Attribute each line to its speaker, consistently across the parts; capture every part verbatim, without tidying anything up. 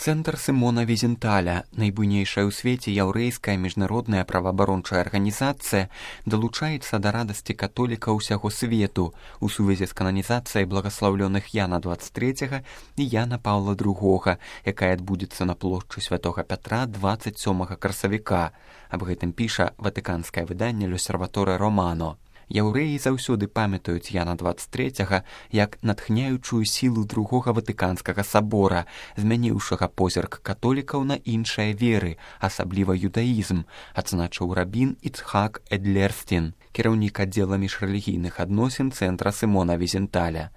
Speaker 1: Цэнтр Сімона Візенталя, найбуйнейшая ў свеце яўрэйская міжнародная праваабарончая арганізацыя, далучаецца да радасці католіка ўсяго свету у сувязі з кананізацыяй благаслаўлёных Яна дваццаць трэцяга і Яна Паўла другога, якая адбудзецца на плошчы Святога Пятра дваццаць сёмага красавіка. Аб гэтым піша ватыканскае выданне «L'Osservatore Romano». Яўрэі заўсёды памятаюць Яна дваццаць трэцяга як натхняючую сілу другога ватыканскага сабора, змяніўшага позірк католікаў на іншыя веры, асабліва юдаізм, адзначыў рабін Іцхак Эдлерстін, кіраўнік аддзела міжрэлігійных адносін Цэнтра Сімона Візенталя.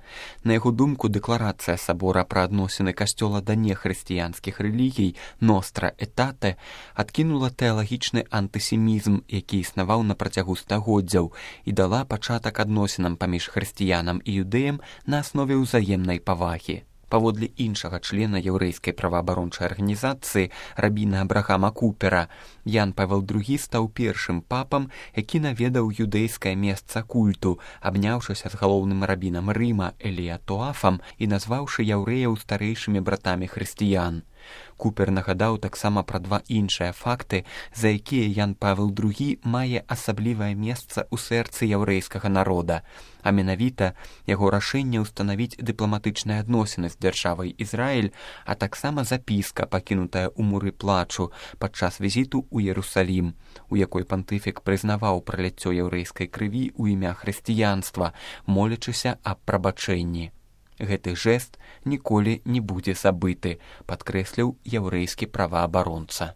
Speaker 1: На яго думку, дэкларацыя сабора пра адносіны касцёла да нехрысціянскіх рэлігій «Ностра Этате» адкінула тэалагічны антысемізм, які існаваў на працягу стагоддзяў, і дала пачатак адносінам паміж хрысціянам і юдэям на аснове ўзаемнай павагі. Паводле іншага члена яўрэйскай праваабарончай арганізацыі рабіна Абрахама Купера, Ян Павел другі стаў першым папам, які наведаў юдэйскае месца культу, абняўшыся з галоўным рабінам Рыма Элія Тоафам і назваўшы яўрэяў старэйшымі братамі хрысціян. Купер нагадаў таксама пра два іншыя факты, за якія Ян Павел другі мае асаблівае месца ў сэрцы яўрэйскага народа, а менавіта яго рашэнне ўстанавіць дыпламатычныя адносіны з дзяржавай Ізраіль, а таксама запіска, пакінутая ў муры плачу падчас візіту ў Ерусалім, у якой пантыфік прызнаваў праляццё яўрэйскай крыві ў імя хрысціянства, молячыся аб прабачэнні. Гэты жэст ніколі не будзе забыты, падкрэсліў яўрэйскі праваабаронца.